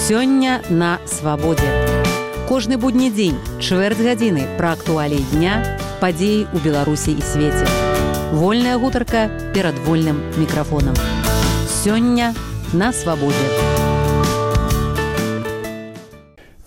Сёння на свабодзе. Кожны будні дзень, чвэрць гадзіны пра актуаліі дня, падзеі ў Беларусі і свеце. Вольная гутарка перад вольным мікрафонам. Сёння на свабодзе.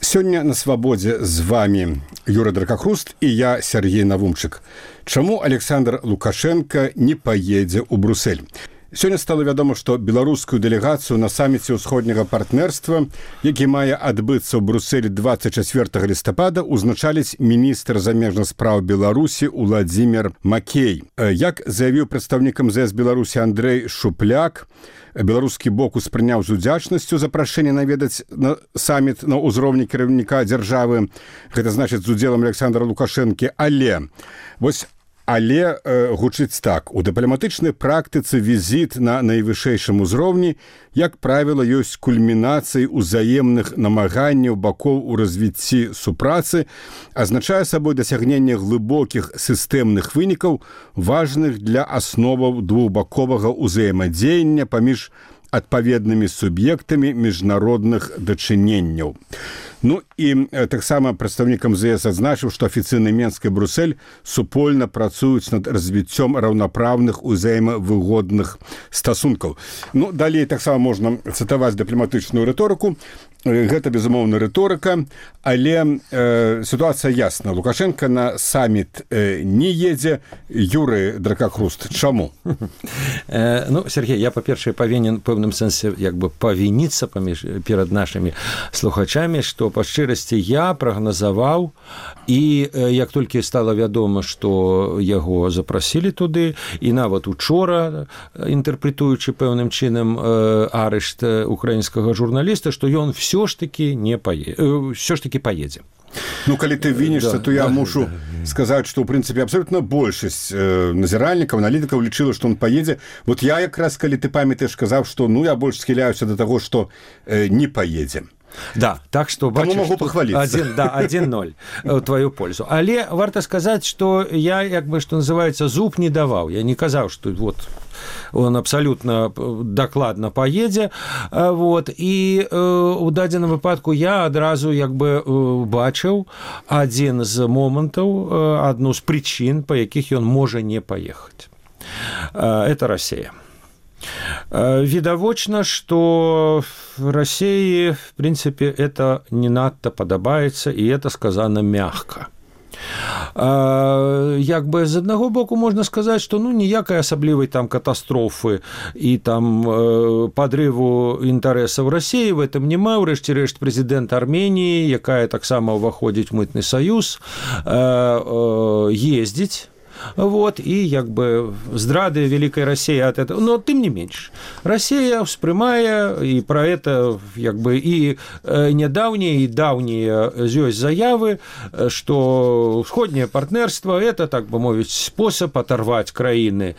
Сёння на свабодзе з вами Юра Дракахруст і я, Сергей Навумчык. Чаму Александр Лукашенко не паедзе ў Брусэль? Сёння стала вядома, што беларускую дэлегацыю на саміце ўсходняга партнерства, які мае адбыцца ў Брусэлі 24 лістапада, узначаліць міністр замежных спраў Беларусі Уладзімир Макей. Як заявіў прадстаўнік МЗС Беларусі Андрэй Шупляк, беларускі бок успрыняў з удзячнасцю запрашэнне наведаць на саміт на ўзроўні кіраўніка дзяржавы, гэта значыць з удзелам Александра Лукашэнкі, Але гучыць так. У дыпламатычнай практыцы візіт на найвышэйшым узроўні, як правіла, ёсць кульмінацыяй узаемных намаганняў бакоў у развіцці супрацы, азначае сабой дасягненне глыбокіх сістэмных вынікаў, важных для асноваў двухбаковага ўзаемадзеяння паміж адпаведнымі суб'ектамі міжнародных дачыненняў. Ну і таксама прадстаўнік МЗС адзначыў, што афіцыйны Менск і Брусэль супольна працуюць над развіццём раўнапраўных узаемавыгодных стасункаў. Ну, далей таксама можна цытаваць дыпламатычную рыторыку. Гэта, безумоўна, рыторыка, але сітуацыя ясна. Лукашенко на саміт не едзе. Юры Дракахруст, чаму? Ну, Сергей, я, па-першае, павінен пэўным сэнсе павініцца перад нашымі слухачамі, што па шчырасці я прагназаваў, і як толькі стала вядома, што яго запрасілі туды, і нават учора, інтэрпрэтуючы пэўным чынам арышт украінскага журналіста, што ён все ж таки поедзе. Ну, калі ты вінішся, то я мушу сказаць, што, ў прынцыпе, абсолютна большасць назіральнікаў, аналітыкаў лічыла, што он поедзе. Вот я якраз, калі ты памятаеш, сказаў, што я больш схіляюся да таго, што не поедзе. Да, так што бачыш, могу пахваліцца. 1-0 у твою пользу. Але варта сказаць, што я, што называецца, зуб не даваў. Я не казаў, што он абсалютна дакладна паедзе. І у дадзеным выпадку я адразу бачыў адзін з момантаў, адну з прычын, па якіх ён можа не паехаць. Это Россия. Відавочна, што России, в принципе, это не надта падабаецца, і это сказано мягка. З аднаго боку можна сказаць, што ніякай асаблівай там катастрофы і там падрыву інтарэсаў России в этом няма. Урэшце рэшт прэзідэнт Арменіі, якая таксама ўваходзіць в мытны саюз, ездзіць. І здрады Великой России от этого. Но тым не менш, Россия ўспрымае, і про это і нядаўнія, і даўнія ёсць заявы, што усходняе партнерство это, так бы мовіць, спосаб оторвать краіны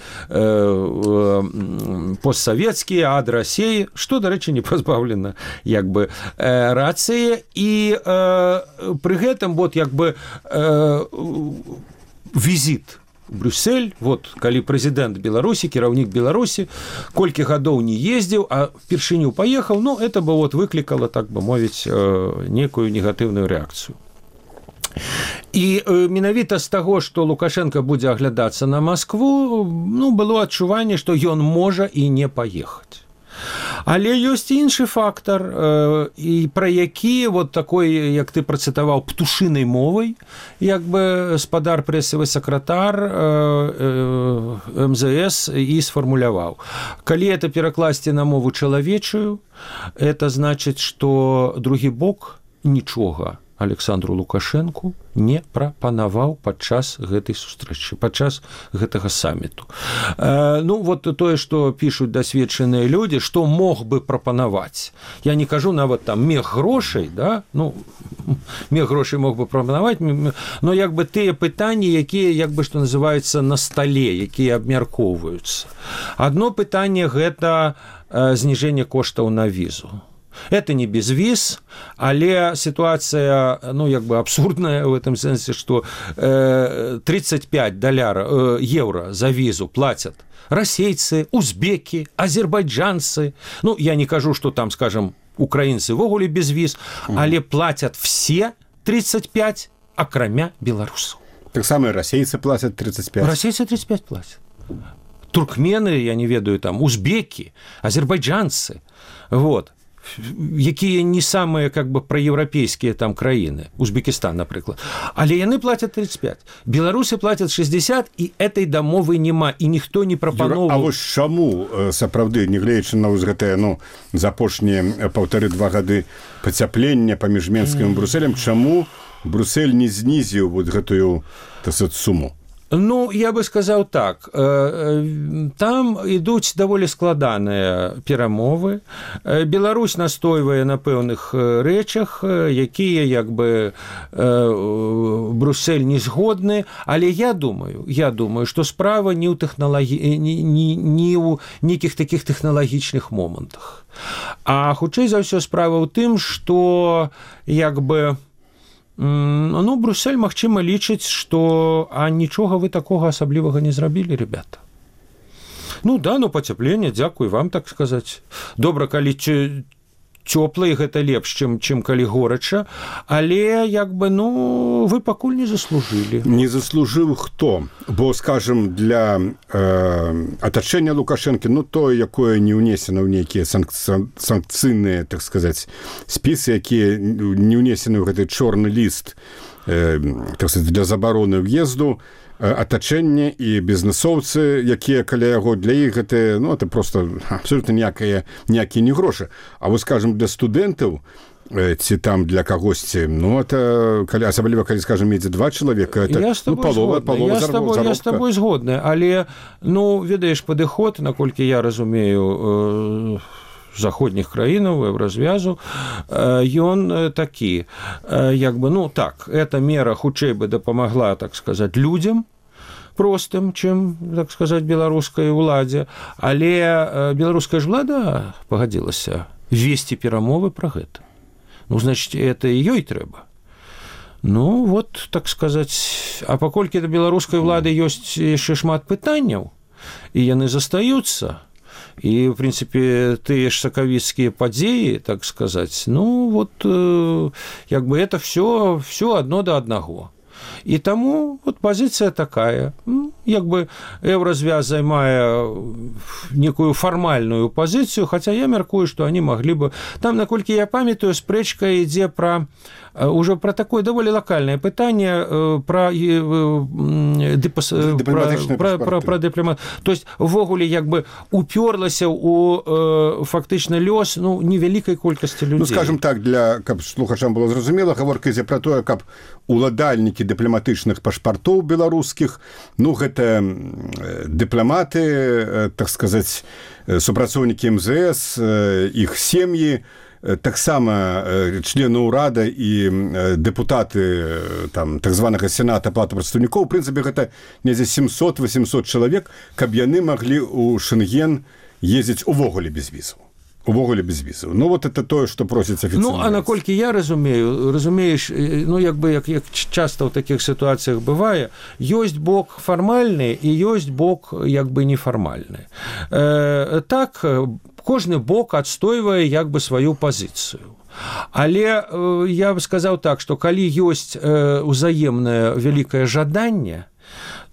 постсавецкія ад России, што, дарэчы, не пазбаўлена рацыі. І пры гэтым візіт Брюссель, калі прэзідэнт Беларусі, кіраўнік Беларусі, колькі гадоў не ездзіў, а впершыню паехаў, это бы выклікала, так бы мовіць, некую негатыўную рэакцыю. І менавіта з таго, што Лукашенко будзе аглядацца на Маскву, было адчуванне, што ён можа і не паехаць. Але ёсць іншы фактар, і пра які такой, як ты працытаваў, птушынай мовай, спадар прэсавы сакратар МЗС і сфармуляваў. Калі это перакласці на мову чалавечую, это значыць, што другі бок нічога Александру Лукашенку не прапанаваў падчас гэтай сустрэчы, падчас гэтага саміту. Тое, што пішуць дасведчаныя людзі, што мог бы прапанаваць. Я не кажу нават там мех грошай, да? Мех грошай мог бы прапанаваць, но тыя пытанні, якія, што называецца, на стале, якія абмяркоўваюцца. Адно пытанне – гэта зніжэнне коштаў на візу. Это не без виз, але ситуация, абсурдная в этом смысле, что 35 евро за визу платят российцы, узбеки, азербайджанцы. Я не кажу, что там, скажем, украінцы ввогуле без віз, але плацяць все 35, акрамя беларусаў. Таксама расейцы плацяць 35. Расейцы 35 плацяць. Туркмены, я не ведаю, там, узбекі, азербайджанцы, вот, якія не самыя как бы праеўрапейскія там краіны, Узбекістан, напрыклад, але яны плацяць 35. Беларусы плацяць 60, і этой дамовы няма, і ніхто не прапановваў. А вось чаму сапраўды, нягледзячы на вось гэтае, за апошнія 1,5-2 гады пацяплення паміж Менскім і Брусэлем, чаму Брусэль не знізіў вот гэтую суму? Ну, я бы сказаў так, там ідуць даволі складаныя перамовы. Беларусь настойвае на пэўных рэчах, якія як бы Брусэль не згодны, але я думаю, што справа не ў не ў нейкіх такіх тэхналагічных момантах. А хутчэй за ўсё справа ў тым, што як бы Брусэль, магчыма, лічыць, што нічога вы такога асаблівага не зрабілі, ребята. Пацяпленне, дзякуй вам, так сказаць. Добра, калі цёпла, і гэта лепш, чым калі горача, але, вы пакуль не заслужылі. Не заслужыў хто? Бо, скажем, для атачэння Лукашэнкі, тое, якое не ўнесена ў нейкія санкцыйныя, так сказаць, спісы, якія не ўнесены ў гэты чорны ліст, так сказаць, для забароны ўезду, атачэнне і бізнесоўцы, якія каля яго, для іх гэта, это просто абсолютно ніякія не грошы. А вось, скажем, для студэнтаў, ці там для кагосьці, это, асабліва, калі, скажем, едзе 2 чалавека, это палова заробка. Я з табой згодны, але, ведаеш, падыход, наколькі я разумею, заходніх краінаў, еўразвязу, ён такі, эта мера хутчэй бы дапамагла, так сказаць, людзям простым, чым, так сказаць, беларускай уладзе, але беларуская ж ўлада пагадзілася весці перамовы пра гэта. Значыць, это і ёй трэба. Так сказаць, а паколькі да беларускай улады ёсць яшчэ шмат пытанняў, і яны застаюцца, і, в прынцыпе, тыя ж сакавіцкія падзеі, так сказаць, это все адно да аднаго. І таму пазіцыя такая. Еўразвяз займае некую фармальную пазіцыю, хаця я мяркую, што они маглі бы... Там, наколькі я памятаю, спрэчка ідзе уже про такое даволі локальное пытанне про дыпламат. То есть ввогуле уперлася у фактычна лёс невялікай колькасці людзей. Скажем так, каб слухачам было зразумела, гаворка ідзе про тое, каб уладальнікі дыпламатычных пашпартоў беларускіх, гэта дыпламаты, так сказаць, супрацоўнікі МЗС, іх сем'і, таксама члены ўрада і дэпутаты так званага сената палаты прадстаўнікоў, у прынцыпе, гэта недзе 700-800 чалавек, каб яны маглі ў Шэнген ездзіць увогуле без візаў. Это тое, што просіць афіцыйна. А наколькі я разумееш, як часта ў такіх сітуацыях бывае, ёсць бок фармальны і ёсць бок нефармальны. Так, кожны бок адстойвае сваю пазіцыю. Але я бы сказаў так, што калі ёсць узаемнае вялікае жаданне,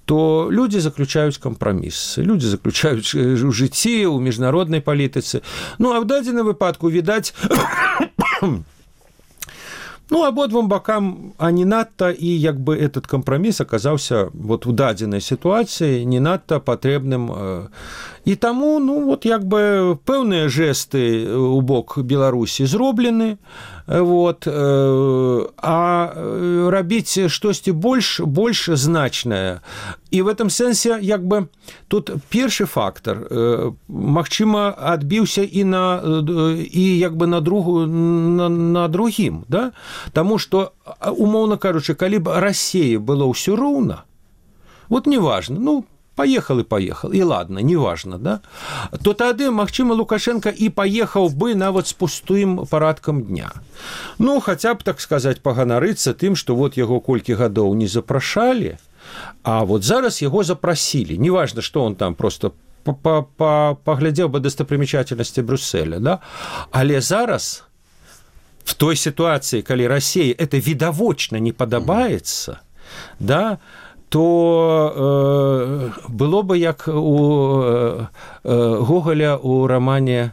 то люди заключаюць кампрамісы, люди заключаюць у жыцці, у міжнароднай палітыцы. А в дадзеным выпадку, відаць, абодвум бакам не надта, і этот кампраміс аказаўся у дадзенай сітуацыі не надта патрэбным. І таму, пэўныя жэсты ў бок Беларусі зроблены, а рабіць штосьці больш значнае. І в этом сэнсе, тут першы фактар, магчыма, адбіўся і на другім, да? Таму што, умоўна кажучы, калі б Расіі было ўсё роўна, неважна, поехал, и ладно, неважно, да? То тады, магчыма, Лукашенко і паехаў бы нават з пустым парадкам дня. Хаця б, так сказаць, паганарыцца тым, што яго колькі гадоў не запрашалі, а зараз яго запрасілі. Неважно, што он там просто паглядзеў бы дастапрымячательнасці Брюсселя, да? Але зараз в той ситуации, калі России это відавочна не падабаецца, да, то было бы як у Гоголя у романе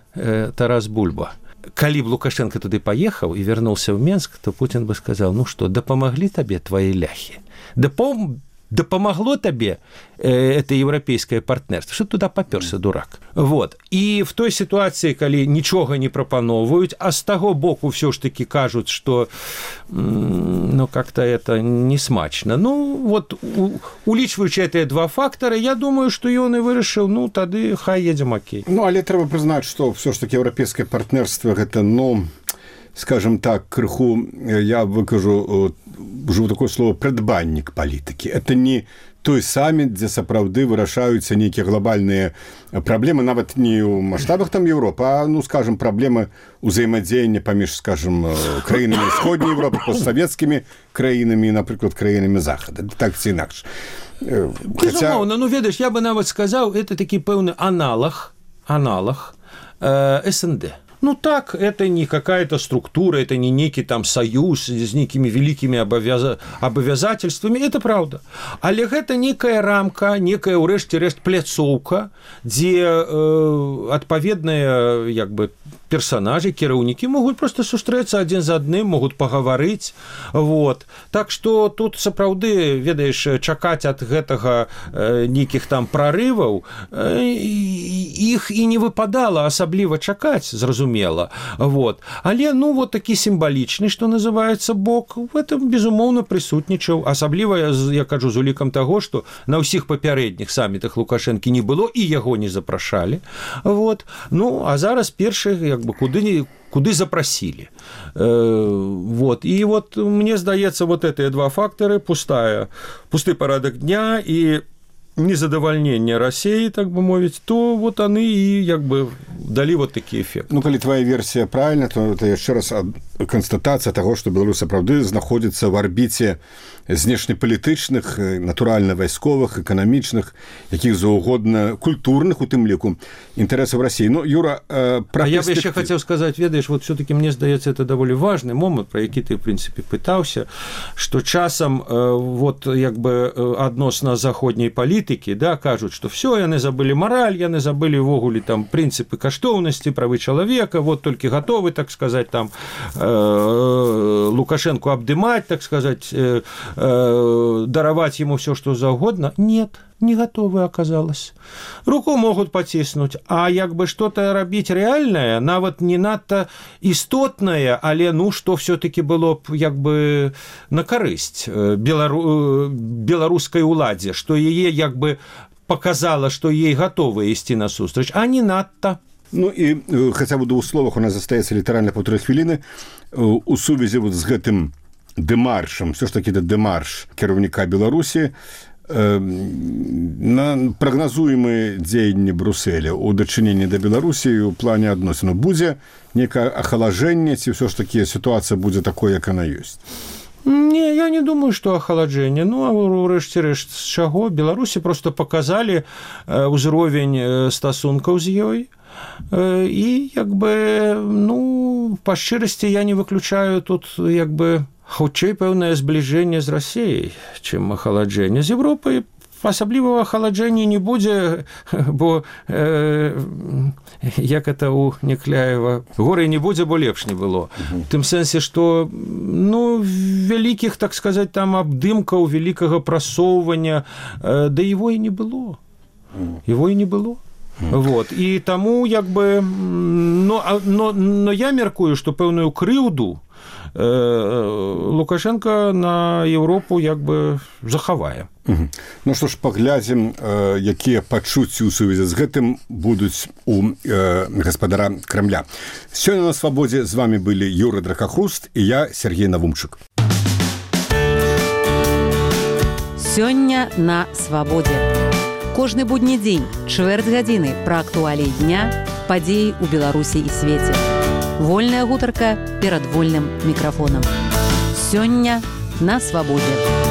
«Тарас Бульба». Калі б Лукашенко туды паехаў і вярнуўся ў Менск, то Путин бы сказал: ну что, дапамаглі табе твои ляхи, дапамагло табе это еўрапейскае партнерство, что туда папёрся, дурак. Вот. І в той ситуации, калі нічога не прапаноўваюць, а з таго боку все ж таки кажуць, что ну как-то это не смачно. Ну вот, улічваючы гэтыя два фактары, я думаю, что ён і вырашыў, ну тады хай едзем, окей. Ну але трэба прызнаць, что все ж таки еўрапейскае партнерство гэта, ну, скажем так, крыху, я выкажу ужо такое слово, прадбаннік палітыкі. Это не той саміт, дзе сапраўды вырашаюцца нейкія глобальныя праблемы, нават не ў маштабах там Европы, а, ну, скажем, праблемы ўзаемадзеяння паміж, скажем, краінамі ўсходняй Европы, постсавецкімі краінамі, напрыклад, краінамі Захада. Так ці інакш. Безумоўна, ну, ведаеш, я бы нават сказаў, это такі пэўны аналог СНД. Ну так, это не какая-то структура, это не некий там союз с некими великими обязательствами, это правда. Але гэта некая рамка, некая ўрэшце-рэшт пляцоўка, дзе адпаведныя як бы персонажи, кіраўнікі могуць просто сустрэцца адзін з адным, могуць пагаварыць. Вот. Так што тут сапраўды, ведаеш, чакаць ад гэтага нейкіх там прарываў, іх і не выпадала асабліва чакаць, зразумела. Вот. Але, ну, вот такі сімвалічны, што называецца, бок, в этом, безумоўна, прысутнічаў. Асабліва, я кажу, з улікам таго, што на ўсіх папярэдніх самітах Лукашэнкі не было, і яго не запрашалі. Вот. Ну, а зараз першы, як бы, куды запросили. Вот. И вот мне здаецца, вот эти два фактора, пусты порядок дня и незадавальнення России, так бы мовіць, то вот они и як бы дали вот такі эффект. Ну, калі твоя версия правильна, то это яшчэ раз констатация того, что Беларусь сапраўды знаходзіцца в орбите знешнепалітычных, натуральна-вайсковых, эканамічных, якіх заўгодна культурных, у тым ліку, інтарэсаў России. Ну, Юра, а я бы еще хотел сказать, ведаешь, вот все-таки мне здаецца, это довольно важный момент, про які ты, в принципе, пытался, что часам вот як бы адносна заходняй палітыкі, да, кажуць, что все, яны забыли мораль, яны забыли ўвогуле там принципы каштоўнасці, правы чалавека, вот только готовы, так сказать, там Лукашенко обдымать, так сказать, даровать ему все, что угодно. Нет, не готовы оказалось. Руку могут потиснуть, а як бы что-то рабіць реальное, нават не надто істотное, але ну что все-таки было б як бы на карысць беларускай уладзе, что яе як бы показала, что ей готовы ісці насустрач, а не надто. Ну и хотя бы в двух словах у нас застаецца літаральна 1,5 хвіліны у сувязі вот з гэтым дэмаршам, все ж таки это дэмарш кіраўніка Беларусі на прагназуемыя дзеянні Брюсселя у дачыненні да Беларусі у плане адносін будзе некае ахалажэнне, ці все ж таки ситуация будзе такой, як она ёсць? Не, я не думаю, что охолоджение. Ну, а урэшце-рэшт з чаго? Беларусі просто показали ўзровень стасункаў з ёй. И як бы, ну, по шчырасці я не выключаю тут як бы хутчэй пэўнае збліжэнне з Россией, чым ахаладжэнне з Европай. Асаблівага ахаладжэння не будзе, бо як это у Некляева, горы не будзе, бо лепш не было. В тым сэнсе, што ну, вялікіх, так сказать, там абдымкаў, вялікага прасоўвання, да его и не было. Его и не было. Вот. И тому як бы, но я мяркую, што пэўную крыўду Лукашенко на Европу як бы захавае. Ну што ж, паглядзім, якія пачуцці ў сувязі з гэтым будуць у гаспадара Крамля. Сёння на Свабодзе з вами былі Юра Дракахруст і я, Сергей Навумчык. Сёння на Свабодзе. Кожны будні дзень, чвэрць гадзіны пра актуаліі дня, падзеі ў Беларусі і свеце. Вольная гутарка перад вольным мікрафонам. Сёння на Свабодзе.